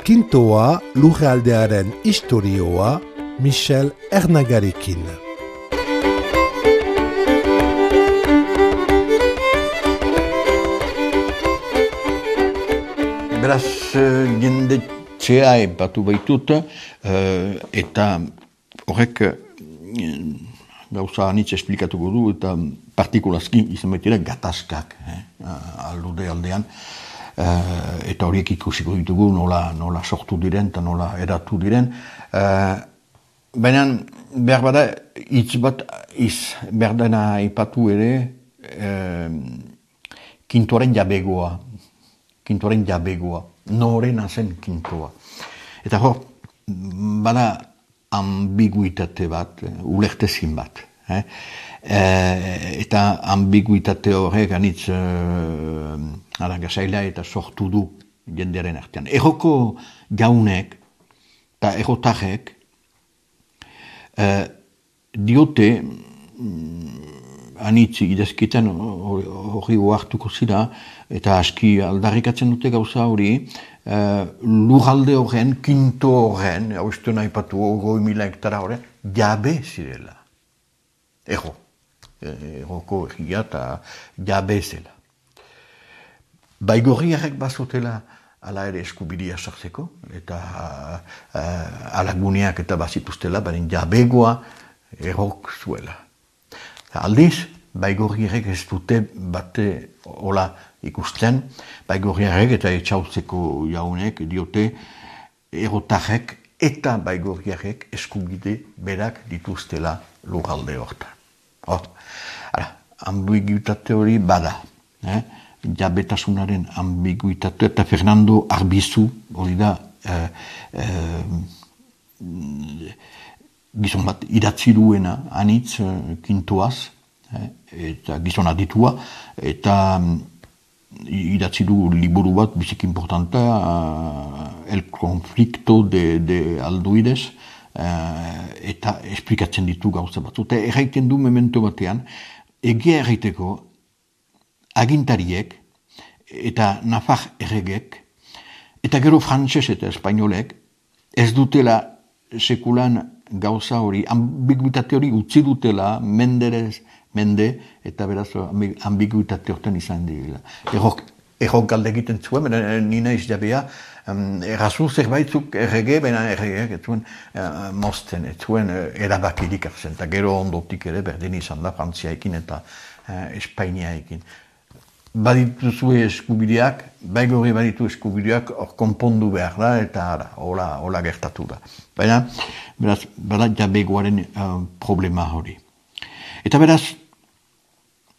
Kintoa lurraldearen istorioa Michel Ernagarekin. Beraz, jende txea epatu baitut, eta horrek gauza anitz esplikatuko du, eta partikulazki izan baitira gatazkak aldude aldean, eta horiek ikusiko ditugu nola sortu diren eta nola eratu diren. Baina behar bada hitz bat behar dena ipatu ere kintoaren jabegoa. Kintoaren jabegoa, norena zen kintoa. Eta hor, bada ambiguitate bat, ulertezin bat. Eta ambiguitate horrek anitz gazaila eta sortu du jendearen artean. Erroko jaunek eta errotarrek diote anitz idazketan hori oartuko zira, eta aski aldarrikatzen dute gauza hori, lurralde horren, kinto horren, haustu nahi patu 20.000 hektara horren, jabe zirela. Erroko egia eta jabe zela. Baigorriarrek bazotela ala ere eskubidia sartzeko, eta alaguneak eta bazituztela, baina jabegoa errok zuela. Aldiz, baigorriarrek ez dute bate hola ikusten, baigorriarrek eta etxautzeko jaunek diote errotarrek eta baigorriarrek eskubide berak dituztela lurralde hortan. Ambiguitate hori bada, jabetasunaren ambiguitate, eta Fernando Arbizu hori da gizon bat idatzi duena anitz kintoaz, eta gizon aditua, eta idatzi du liburu bat bizik importanta, El conflicto de Alduides, eta esplikatzen ditu gauza bat. Eta erraiten du memento batean, egia erraiteko agintariek eta nafar erregek, eta gero frantses eta espainolek, ez dutela sekulan gauza hori, ambiguitate hori utzi dutela, mende, eta beraz ambiguitate horten izan direla. Errok galde egiten zuen, nina izjabea, errazu zerbaitzuk errege, baina erregeak ez zuen mozten, ez zuen erabakirik hartzen, eta gero ondotik ere berdin izan da Frantziaekin eta Espainiaekin. Badituzue eskubideak, baigorri baditu eskubideak hor konpondu behar da, eta hola gertatu da. Baina, beraz, bada jabegoaren problema hori. Eta beraz,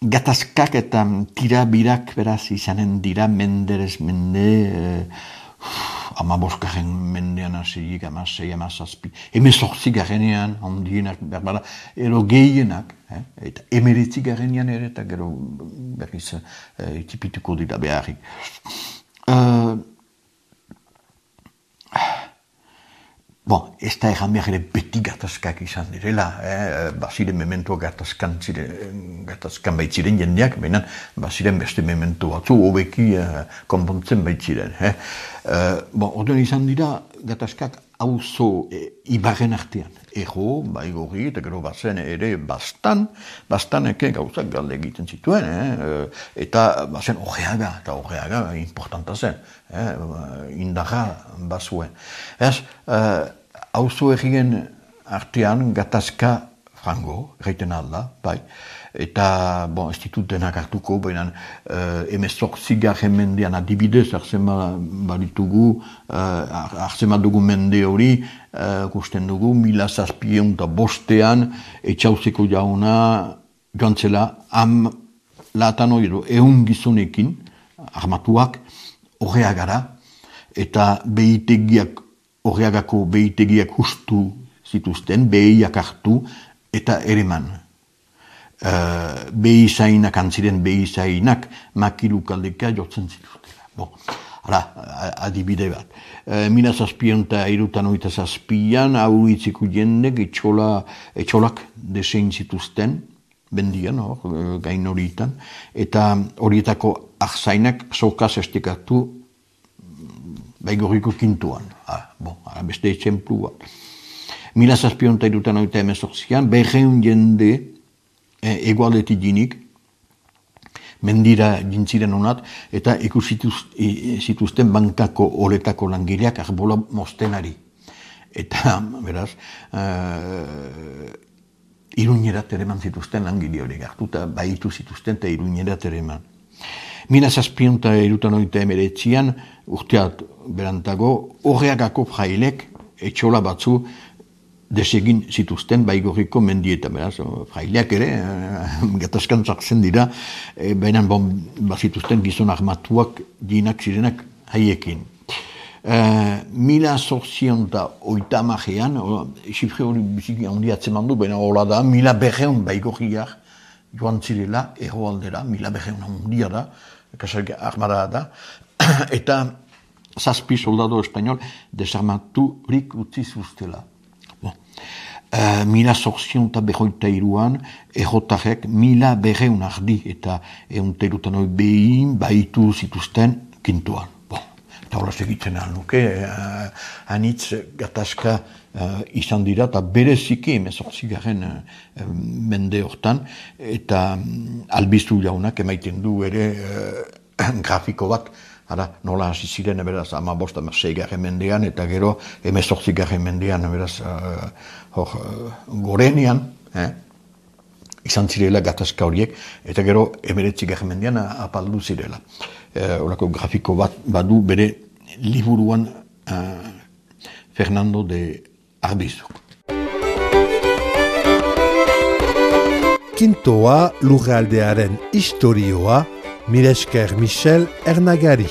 gatazkak eta tirabirak beraz izanen dira menderez mende, 15. mendean hasirik, 16, 17, 18. handienak, berbara, ero gehienak, eta 19. ere, eta gero berriz itipituko dira beharrik. Ez da egan behar ere beti gatazkak izan direla, baziren memento gatazkan baitziren jendeak, baina baziren beste memento batzu, hobeki konpontzen baitziren. Orduan izan dira gatazkak auzo ibarren artean. Ego, baigorri, eta gero bazen ere bastaneke gauzak galde egiten zituen, eta bazen Orreaga, eta Orreaga importanta zen, indarra bazuen. Auzo egien artean gatazka frango, erraiten alda, bai, eta, ez ditut denak hartuko, baina 18. mendean adibidez, hartzen badugu mende hori, gusten dugu, 1705 etxauzeko jauna joan zela, latan hori edo, 100 gizonekin, armatuak, Orreagara, eta behitegiak, Orreagako behitegiak hustu zituzten, behiak hartu, eta ereman. Behizainak, antziren behizainak, makilukaldeka jotzen zituztela. Adibide bat. 1737an auritzeko jendek etxolak desein zituzten, bendian, gain horietan, eta horietako ahzainak sokaz estekatu Baigorriko kintuan. Beste etxemplu bat. 1778an, 200 jende egualdetik jinik, mendira jintziren honat, eta ikusituzten bankako oretako langileak arbola mostenari. Eta, beraz, Iruñerat ereman zituzten langile horiek hartuta, baitu zituzten eta Iruñerat ereman. 1779an, urteat berantago, horreagako frailek etxola batzu desegin zituzten Baigorriko mendietan, beraz, fraileak ere, gatazkan sartzen dira, baina bazituzten gizon armatuak jinak zirenak haiekin. 1880an, xifre hori biziki handi atzeman du, baina hola da, 1200 Baigorriak joan zirela, erroaldera, 1200 handia da, kasarka armada da, eta 7 soldado espainol desarmaturik utzi zuztela. 1883an, errotarek 1200 ardi eta 100 behin baitu zituzten kintuan. Eta hola segitzen nuke, anitz gatazka izan dira, eta bereziki 18. Mende hortan, eta albizu jaunak emaiten du ere grafiko bat, nola hasi ziren, beraz, 15. mendean, eta gero 18. mendean, beraz, gorenean, izan zirela gatazka horiek, eta gero 19. mendean apaldu zirela. Horako grafiko bat badu bere liburuan Fernando de Arbizu. Kintoa lurraldearen istorioa, mila esker Michel Ernagari.